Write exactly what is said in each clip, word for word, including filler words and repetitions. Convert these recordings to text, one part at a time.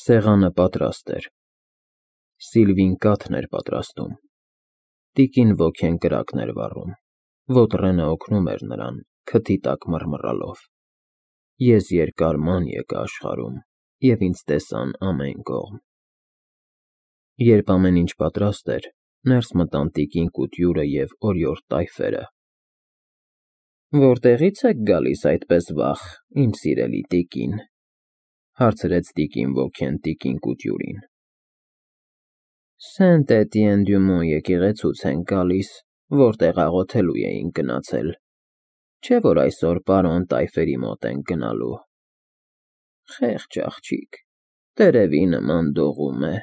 Սեղանը պատրաստ էր։ Սիլվին կաթն էր պատրաստում։ Տիկին ոգին կրակն էր վառում, Ոտրենը օգնում էր նրան, քթի տակ մռմռալով։ Ես երկար ման եկա աշխարհում, և ինձ տեսան ամեն կողմ։ Երբ ամեն ինչ պատրաստ էր, ներս մտան տիկին Կուտյուրը և օրիորդ տայֆերը։ Որտեղի՞ց եք գալիս այդպես վաղ, իմ սիրելի տիկին, հարցրեց տիկին ոգին տիկին Կուտյուրին։ Սենտ Էտիեն-դյու-Մոն եկեղեցուց ենք գալիս, որտեղ աղոթելու էինք գնացել, չէ՞ որ այսօր պարոն տայֆերի մոտ ենք գնալու։ Խեղճ աղջիկ, տերևի նման դողում է,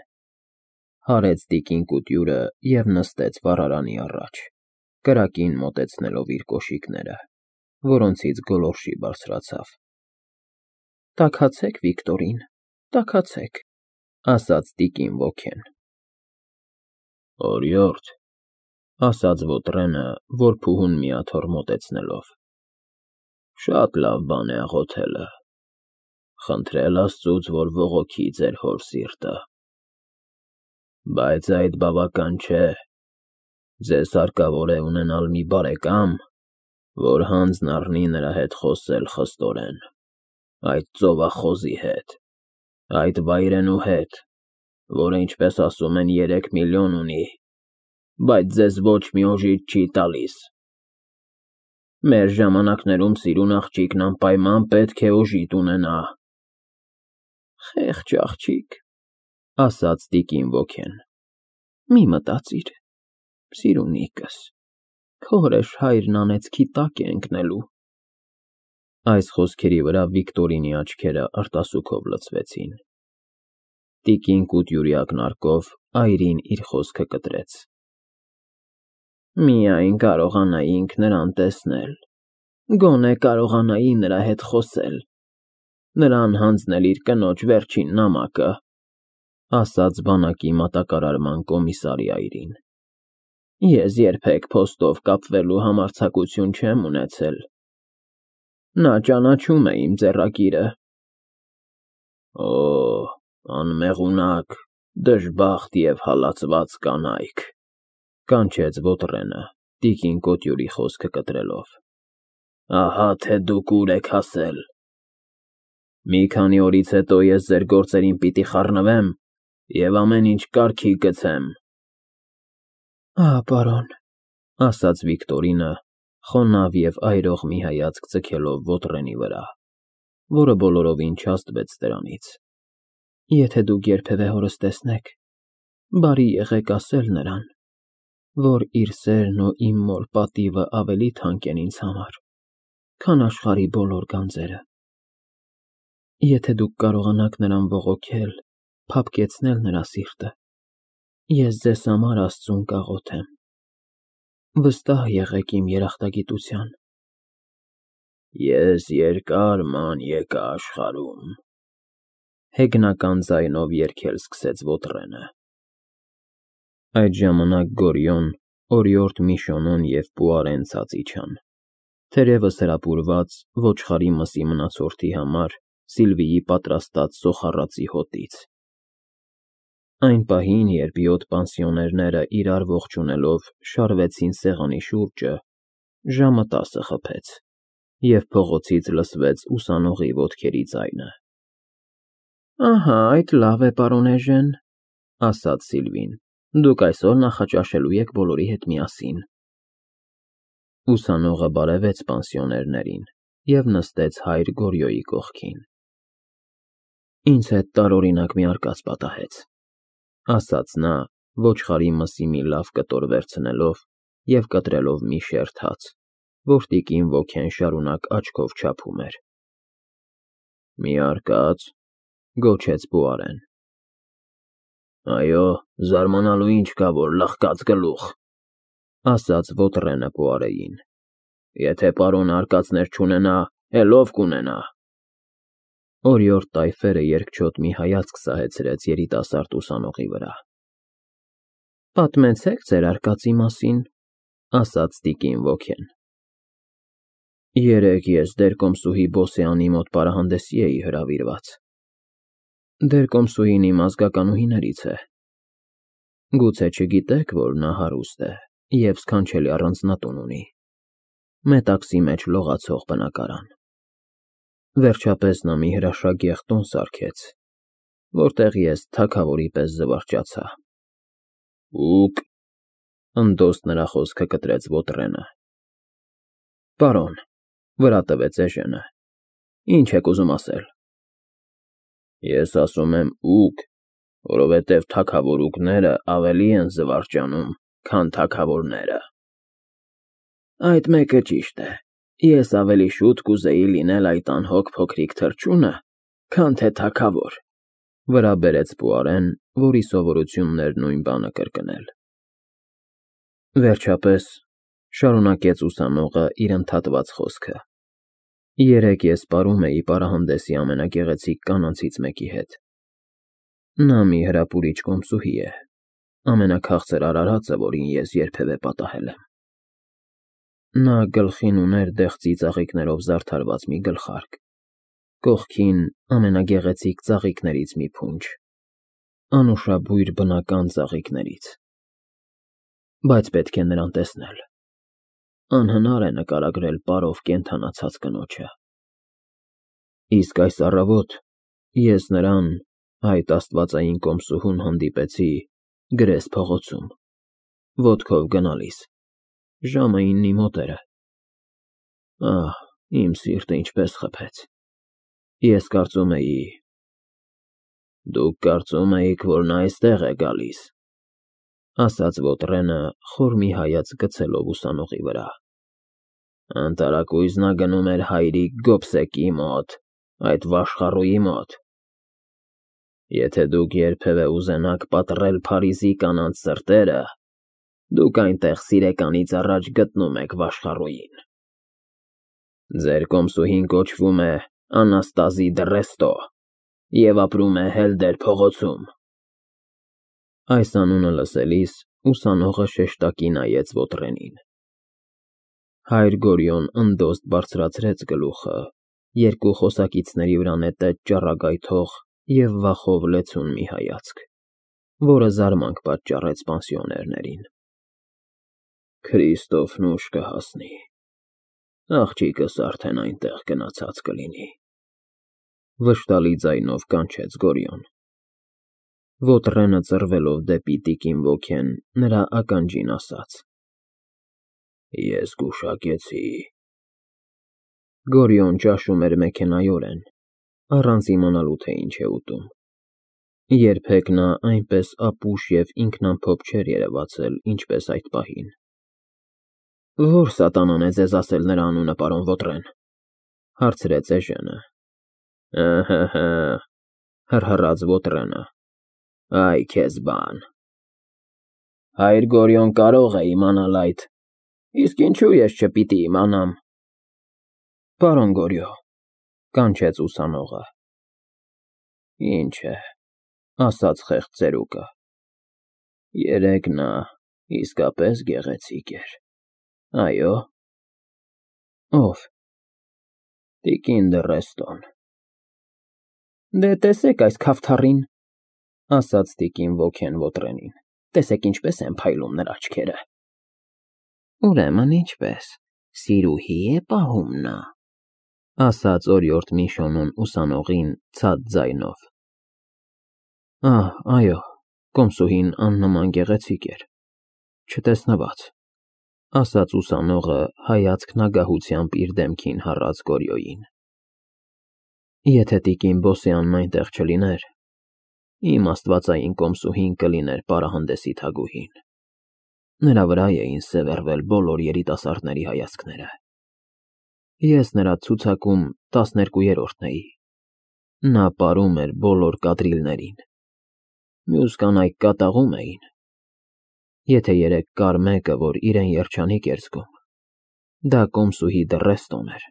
հարեց տիկին Կուտյուրը և նստեց վառարանի առաջ, կրակին մոտեցնելով իր կոշիկները, որոնցից գոլորշի բարձրացավ։ Տաքացեք, Վիկտորին, տաքացեք, ասաց տիկին ոգին։ Օրիորդ, ասաց Ոտրենը, որ փուհուն մի աթոռ մոտեցնելով, շատ լավ բան է աղոթելը, խնդրել Աստծուց, որ բողոքի ձեր հոր սիրտը։ Բայց այդ բավական չէ, ձեզ հարկավոր է ունենալ մի բարեկամ, որ հանձն առնի նրա հետ խոսել խստորեն, այդ ծովախոզի հետ, այդ վայրենու հետ, որը, ինչպես ասում են, երեք միլիոն ունի, բայց ձեզ ոչ մի օժիտ չի տալիս։ Մեր ժամանակներում սիրուն աղջիկն անպայման պետք է օժիտ ունենա։ Խեղճ աղջիկ, ասաց տիկին ոգին, մի մտածիր, սիրունիկս, քո հրեշհայրն անեծքի տակ է ընկնելու։ Այս խոսքերի վրա Վիկտորինի աչքերը արտասուքով լցվեցին։ Տիկին Կուտյուրի ակնարկով այրին իր խոսքը կտրեց։ Միայն կարողանայինք նրան տեսնել, գոնե կարողանայի նրա հետ խոսել, նրան հանձնել իր կնոջ վերջին նամակը, ասաց բանակի մատակարարման կոմիսարի այրին։ Ես երբեք փոստով կապվելու համարձակություն չեմ ունեցել։ Նա ճանաչում է իմ ձեռագիրը։ Օ, անմեղունակ, դժբախտ և հալածված կանայք, կանչեց Ոտրենը, տիկին Կոտյուրի խոսքը կտրելով, ահա թե դուք ուր եք հասել։ Մի քանի օրից հետո ես ձեր գործերին պիտի խառնվեմ և ամեն ինչ կարգի գցեմ։ Ահա, պարոն, ասաց Վիկտորինը, խոնավ և այրող մի հայացք ձգելով Ոտրենի վրա, որը բոլորովին չազդվեց դրանից։ Եթե դուք երբևէ հորս տեսնեք, բարի եղեք ասել նրան, որ իր սերն ու իմ մոր պատիվը ավելի թանկ են ինձ համար, քան աշխարհի բոլոր գանձերը։ Եթե դուք կարողանաք նրան բողոքել, փափկեցնել նրա սիրտը, ես ձեզ համար Աստծուն կաղոթեմ։ Վստահ եղեք իմ երախտագիտության։ Ես երկար ման եկա աշխարհում, հեգնական ձայնով երգել սկսեց Ոտրենը։ Այդ ժամանակ Գորյուն, օրիորդ Միշոնոն և Պուարեն ցած իջան, թերևս հրապուրված ոչխարի մսի մնացորդի համար Սիլվիի պատրաստած սոխառածի հոտից։ Այն պահին, երբ յոթ պանսիոներները իրար ողջունելով շարվեցին սեղանի շուրջը, ժամը տասը խփեց, և փողոցից լսվեց ուսանողի ոտքերի ձայնը։ Ահա, այդ լավ է, պարոն Էժեն, ասաց Սիլվին, դուք այսօր նախաճաշելու եք բոլորի հետ միասին։ Ուսանողը բարևեց պանսիոներներին և նստեց հայր Գորյոյի կողքին։ Ինձ հետ տարօրինակ մի արկած պատահեց, ասաց նա, ոչխարի մսի մի լավ կտոր վերցնելով և կտրելով մի շերտ հաց, որ տիկին ոգին շարունակ աչքով չափում էր։ Մի արկա՞ծ, գոչեց Պուարեն։ Այո, զարմանալու ինչ կա, որ լղկած գլուխ, ասաց Ոտրենը Պուարեին։ Եթե պարոնը արկածներ չունենա, էլ ով կունենա։ Օրիորդ տայֆերը երկչոտ մի հայացք սահեցրեց երիտասարդ ուսանողի վրա։ Պատմեցեք ձեր արկածի մասին, ասաց տիկին ոգին։ Երեկ ես դերկոմսուհի Բոսեանի մոտ պարահանդեսի էի հրավիրված։ Դեր կոմսուհին իմ ազգականուհիներից է։ Գուցե չգիտեք, որ նա հարուստ է և սքանչելի առանձնատուն ունի, մետաքսի մեջ լողացող բնակարան։ Վերջապես նա մի հրաշագեղ տուն սարքեց, որտեղ ես թագավորի պես զվարճացա։ Ուկ, ընդոստ նրա խոսքը կտրեց Ոտրենը։ Պարոն, վրա տվեց էժենը, ինչ եք ուզում ասել։ Ես ասում եմ ուկ, որովհետև թագավորուկները ավելի են զվարճանում, քան թագավորները։ Այդ մեկը ճիշտ է, ես ավելի շուտ կուզեի լինել այդ անհոգ փոքրիկ թռչունը, քան թե թագավոր, վրա բերեց Պուարեն, որի սովորությունն էր նույն բանը կրկնել։ Վերջապես, շարունակեց ուսանողը իր ընդհատված խոսքը, երեկ ես պարում էի պարահանդեսի ամենագեղեցիկ կանանցից մեկի հետ։ Նա մի հրապուրիչ կոմսուհի է, ամենաքաղցր արարածը, որին ես երբևէ պատահել եմ։ Նա գլխին ուներ դեղցի ծաղիկներով զարդարված մի գլխարկ, կողքին ամենագեղեցիկ ծաղիկներից մի փունջ, անուշաբույր բնական ծաղիկներից, բայց պետք է նրան տեսնել, անհնար է նկարագրել պարով կենդանացած կնոջը։ Իսկ այս առավոտ ես նրան, այդ աստվածային կոմսուհուն հանդիպեցի Գրես փողոցում, ոտքով գնալիս, ժամը իննի մոտերը։ Ահ, իմ սիրտը ինչպես խփեց։ Ես կարծում էի… Դուք կարծում էիք, որ նա այստեղ է գալիս, ասաց Ոտրենը, խոր մի հայացք գցելով ուսանողի վրա։ Անտարակույս նա գնում էր հայրիկ Գոբսեկի մոտ, այդ վաշխառուի մոտ։ Եթե դուք երբևէ ուզենաք պատռել Փարիզի կանանց սրտերը, դուք այնտեղ սիրեկանից առաջ գտնում եք վաշխառուին։ Ձեր կոմսուհին կոչվում է Անաստազի դռեստո և ապրում է Հելդեր փողոցում։ Այս անունը լսելիս ուսանողը շեշտակի նայեց Ոտրենին։ Հայր Գորյուն ընդոստ բարձրացրեց գլուխը, երկու խոսակիցների վրա նետեց ճառագայթող և վախով լեցուն մի հայացք, որը զարմանք պատճառեց պանսիոներներին։ Քրիստոֆն ուշ կհասնի, աղջիկս արդեն այնտեղ գնացած կլինի, վշտալի ձայնով կանչեց Գորյուն։ Ոտրենը ծռվելով դեպի տիկին ոգեն նրա ականջին ասաց. Ես գուշակեցի։ Գորյուն ճաշում էր մեքենայորեն, առանց իմանալու, թե ինչ է ուտում։ Երբեք նա այնպես ապուշ և ինքնամփոփ չէր երևացել, ինչպես այդ պահին։ Ո՞ր սատանան է ձեզ ասել նրա անունը, պարոն Ոտրեն, հարցրեց էժենը։ Ըհը, հռհռաց Ոտրենը, այ քեզ բան։ Հայր Գորյուն կարող է իմանալ այդ, իսկ ինչու ես չպիտի իմանամ։ Պարոն Գորյուն, կանչեց ուսանողը։ Ինչ է, ասաց խեղճ ծերուկը, երեկ նա իսկապես գեղեցիկ էր, այո։ Ո՞վ։ Տիկին Դռեստոն։ Դե տեսեք այս քավթառին, ասաց տիկին ոգեն Ոտրենին, տեսեք ինչպես են փայլում նրա աչքերը։ Ուրեմն ինչպես, սիրուհի է պահում նա, ասաց օրիորդ Միշոնուն ուսանողին ցած ձայնով։ Ահ, այո, կոմսուհին աննման գեղեցիկ էր, չտեսնված, ասաց ուսանողը հայացքն ագահությամբ իր դեմքին հառած Գորյոյին։ Եթե տիկին Բոսյանն այնտեղ չլիներ, իմ աստվածային կոմսուհին կլիներ պարահանդեսի թագուհին։ Նրա վրա էին սևեռվել բոլոր երիտասարդների հայացքները։ Ես նրա ցուցակում տասներկուերորդն էի։ Նա պարում էր բոլոր կադրիլներին։ Մյուս կանայք կատաղում էին։ Եթե երեկ կար մեկը, որ իրեն երջանիկ էր զգում, դա կոմսուհի Դռեստոն էր։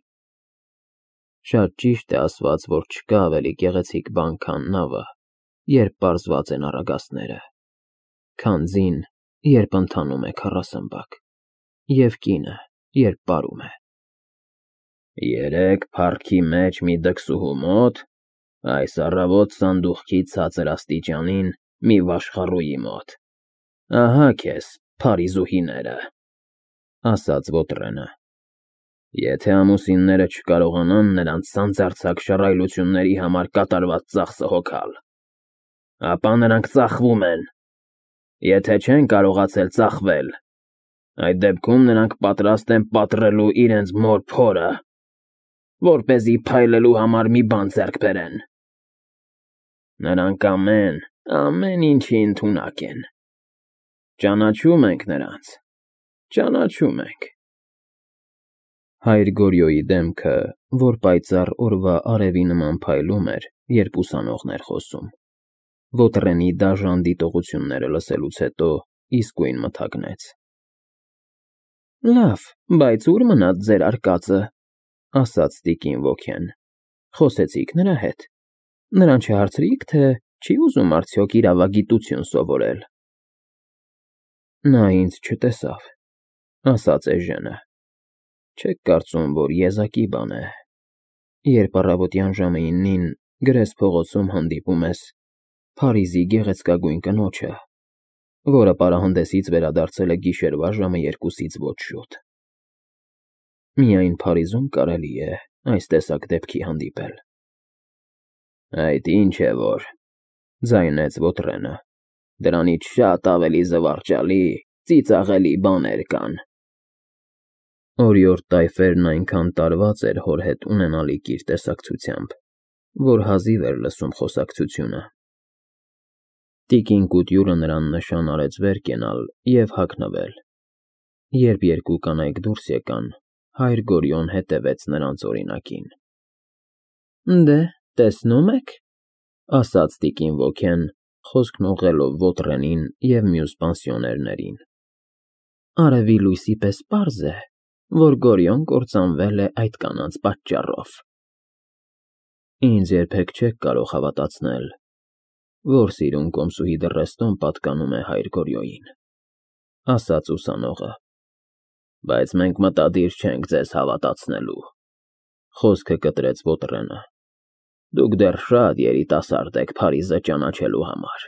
Շատ ճիշտ է ասված, որ չկա ավելի գեղեցիկ բան, քան նավը, երբ պարզված են առագաստները, քան ձին, երբ ընթանում է քառասմբակ, և կինը, երբ պարում է։ Երեկ փառքի մեջ մի դքսուհու մոտ, Այս առավոտ սանդուղքի ցածր աստիճանին մի վաշխառուի մոտ։ Ահա քեզ, Փարիզուհիները, ասաց Ոտրենը։ Եթե ամուսինները չկարողանան նրանց սանձարձակ շռայլությունների համար կատարված ծախսը հոգալ, ապա նրանք ծախվում են, եթե չեն կարողացել ծախվել, այդ դեպքում նրանք պատրաստ են պատռելու իրենց մոր փորը, որպեսզի փայլելու համար մի բան ձեռք բերեն։ Նրանք ամեն, ամեն ինչի ընդունակ են։ Ճանաչում ենք նրանց, ճանաչում ենք։ Հայր Գորյոյի դեմքը, որ պայծառ օրվա արևի նման փայլում էր, երբ ուսանողն էր խոսում, Ոտրենի դաժան դիտողությունները լսելուց հետո իսկույն մթագնեց։ Լավ, բայց ո՞ւր մնաց ձեր արկածը, ասաց տիկին Ոքեն։ Խոսեցի՞ք նրա հետ։ Նրան չհարցրի՞ք, թե չի ուզում արդյոք իրավագիտություն սովորել։ Նա ինձ չտեսավ, ասաց Էժենը։ Չեք կարծում, որ եզակի բան է, երբ առավոտյան ժամը իննին Գրես փողոցում հանդիպում ես Փարիզի գեղեցկագույն կնոջը, որը պարահանդեսից վերադարձել է գիշերվա ժամը երկուսից ոչ շուտ։ Միայն Փարիզում կարելի է այս տեսակ դեպքի հանդիպել։ Այդ ինչ է որ, ձայնեց Ոտրենը, դրանից շատ ավելի զվարճալի, ծիծաղելի բաներ կան։ Օրիորդ Տայֆերն այնքան տարված էր հոր հետ ունենալիք իր տեսակցությամբ, որ հազիվ էր լսում խոսակցությունը։ Տիկին Կուտյուրը նրան նշան արեց վեր կենալ և հագնվել։ Երբ երկու կանայք դուրս եկան, հայր Գորյոն հետևեց նրանց օրինակին։ Դե, տեսնում եք, ասաց տիկին Ոքեն, խոսքն ուղղելով Ոտրենին և մյուս պանսիոներներին։ Արևի լույսի պես պարզ է, որ Գորյոն կործանվել է այդ կանանց պատճառով։ Ինձ երբեք չեք կարող հավատացնել, որ սիրուն կոմսուհի Դռեստոն պատկանում է հայր Գորյոյին, ասաց ուսանողը։ Բայց մենք մտադիր չենք ձեզ հավատացնելու, խոսքը կտրեց Ոտրենը։ Դուք դեռ շատ երիտասարդ եք Փարիզը ճանաչելու համար։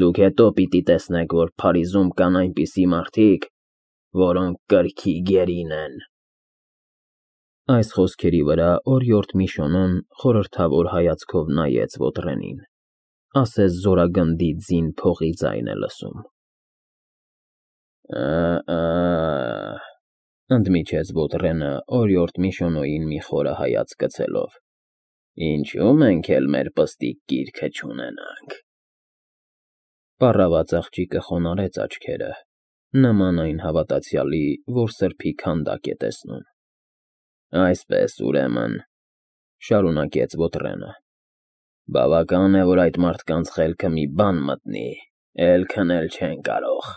Դուք հետո պիտի տեսնեք, որ Փարիզում կան այնպիսի մարդիկ, որոնք կրքի գերին են։ Այս խոսքերի վրա օրիորդ Միշոնոն խորհրդավոր հայացքով նայեց Ոտրենին, ասես զորագնդի ձին փողի ձայն է լսում։ Ա֊ա, ընդմիջեց Ոտրենը օրիորդ Միշոնոյին մի խորը հայացք գցելով։ Ինչու մենք էլ մեր պստիկ գիրքը չունենանք։ Պառավաց աղջիկը խոնարհեց աչքերը, նման այն հավատացյալի, որ սրբի քանդակ է տեսնում։ Այսպես, ուրեմն, շարունակեց Ոտրենը, բավական է, որ այդ մարդկանց խելքը մի բան մտնի, էլ քնել չեն կարող,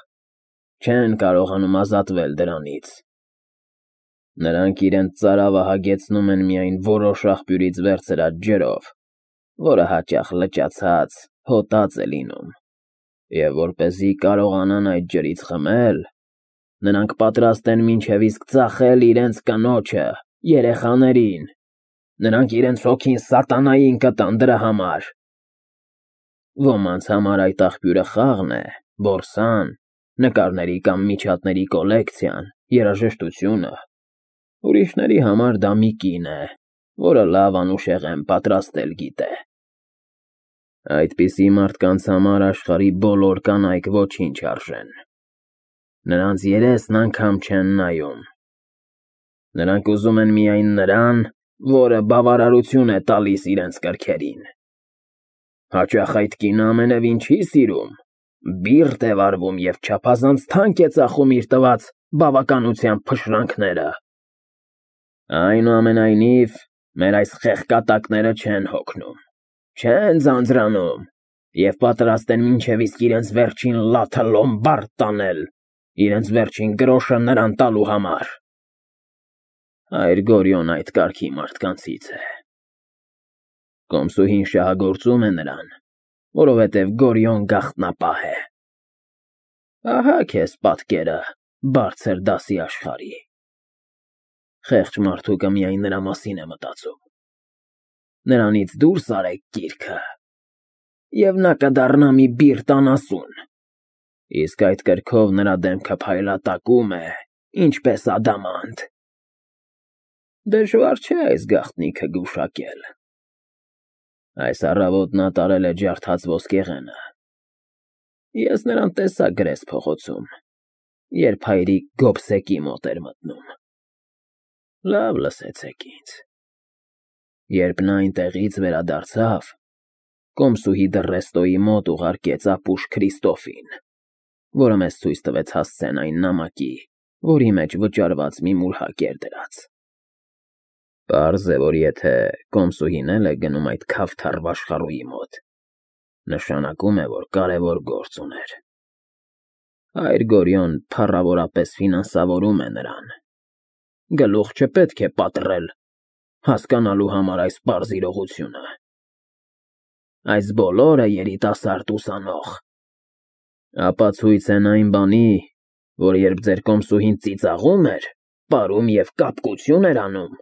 չեն կարողանում ազատվել դրանից։ Նրանք իրենց ծարավը հագեցնում են միայն որոշ աղբյուրից վերցրած ջրով, որը հաճախ լճացած, հոտած է լինում, և որպեսզի կարողանան այդ ջրից խմել, նրանք պատրաստ են մինչև իսկ ծախել իրենց կնոջը, երեխաներին, նրանք իրենց հոգին սատանային կտան դրա համար։ Ոմանց համար այդ աղբյուրը խաղն է, բորսան, նկարների կամ միջատների կոլեկցիան, երաժշտությունը, ուրիշների համար դա մի կին է, որը լավ անուշեղեն պատրաստել գիտե։ Այդպիսի մարդկանց համար աշխարհի բոլոր կանայք ոչինչ արժեն։ Նրանց երեսն անգամ չեն նայում։ Նրանք ուզում են միայն նրան, որը բավարարություն է տալիս իրենց կրքերին։ Հաճախ այդ կինը ամենևին չի սիրում, բիրտ է վարվում և չափազանց թանկ է ծախում իր տված բավականության փշրանքները։ Այնուամենայնիվ, մեր այս խեղկատակները չեն հոգնում, չեն ձանձրանում և պատրաստ են մինչև իսկ իրենց վերջին լաթը լոմբարդ տանել, իրենց վերջին գրոշը նրան տալու համար։ Հայր Գորյոն այդ կարգի մարդկանցից է։ Կոմսուհին շահագործում է նրան, որովհետև Գորյոն գաղտնապահ է։ Ահա քեզ պատկերը բարձր դասի աշխարհի։ Խեղճ մարդուկը միայն նրա մասին է մտածում։ նրանից դուրս արեք գիրքը, և նա կդառնա մի բիրտ անասուն, իսկ այդ կրքով նրա դեմքը փայլատակում է, ինչպես ադամանդ։ Դժվար չէ այս գաղտնիքը գուշակել։ Այս առավոտ նա տարել է ջարդած ոսկեղենը։ Ես նրան տեսա գրես փողոցում, երբ հայրիկ գոբսեկի մոտ էր մտնում։ Լավ լսեցեք ինձ։ Երբ նա այնտեղից վերադարձավ, կոմսուհի Դռեստոյի մոտ ուղարկեց ապուշ Քրիստոֆին, որը մեզ ցույց տվեց հասցեն այն նամակի, որի մեջ վճարված մի մուրհակ էր դրած։ Պարզ է, որ եթե կոմսուհին էլ է գնում այդ քավթարվ աշխարհուհի մոտ, նշանակում է, որ կարևոր գործ ուներ։ Հայր Գորյոն փառավորապես ֆինանսավորում է նրան։ Գլուխ չպետք է պատռել հասկանալու համար այս պարզ իրողությունը։ Այս բոլորը երիտասարդ ուսանող ապացույց են այն բանի, որ երբ ձեր կոմսուհին ծիծաղում էր, պարում և կապկություն էր անում,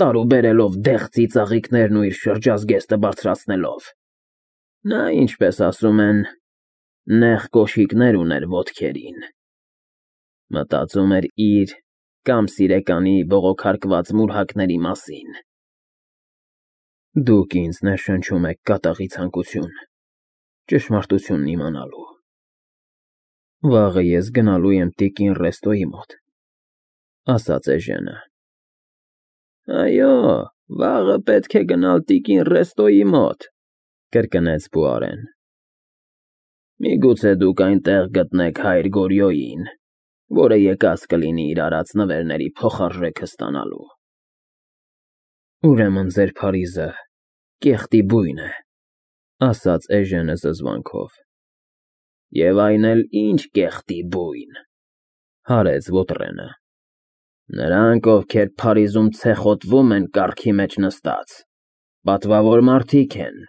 տարուբերելով դեղ ծիծաղիկներն ու իր շրջազգեստը բարձրացնելով, նա, ինչպես ասում են, նեղ կոշիկներ ուներ ոտքերին, մտածում էր իր կամ սիրեկանի բողոքարկված մուրհակների մասին։ Դուք ինձ ներշնչում եք կատաղի ցանկություն, ճշմարտությունն իմանալու։ Վաղը ես գնալու եմ տիկին Ռեստոյի մոտ, ասաց Էժենը։ Այո, վաղը պետք է գնալ տիկին Ռեստոյի մոտ, կրկնեց Պուարեն։ Միգուցե դուք այնտեղ գտնեք հայր Գորյոյին, որը եկած կլինի իր արած նվերների փոխարժեքը ստանալու։ Ուրեմն ձեր Փարիզը կեղտի բույն է, ասաց Էժենը զզվանքով։ Եվ այն էլ ինչ կեղտի բույն, հարեց Վոտրենը։ Նրանք, ովքեր Փարիզում ցեխոտվում են կառքի մեջ նստած, պատվավոր մարդիկ են,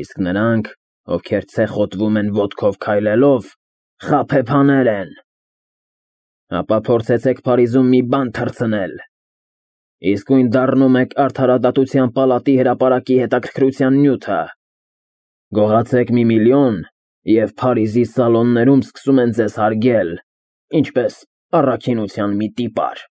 իսկ նրանք, ովքեր ցեխոտվում են ոտքով քայլելով, խաբեբաներ են։ Ապա փորձեցեք Փարիզում մի բան թռցնել, իսկույն դառնում եք Արդարադատության պալատի հրապարակի հետաքրքրության նյութը։ Գողացեք մի միլիոն, և Փարիզի սալոններում սկսում են ձեզ հարգել, ինչպես առաքինության մի տիպար։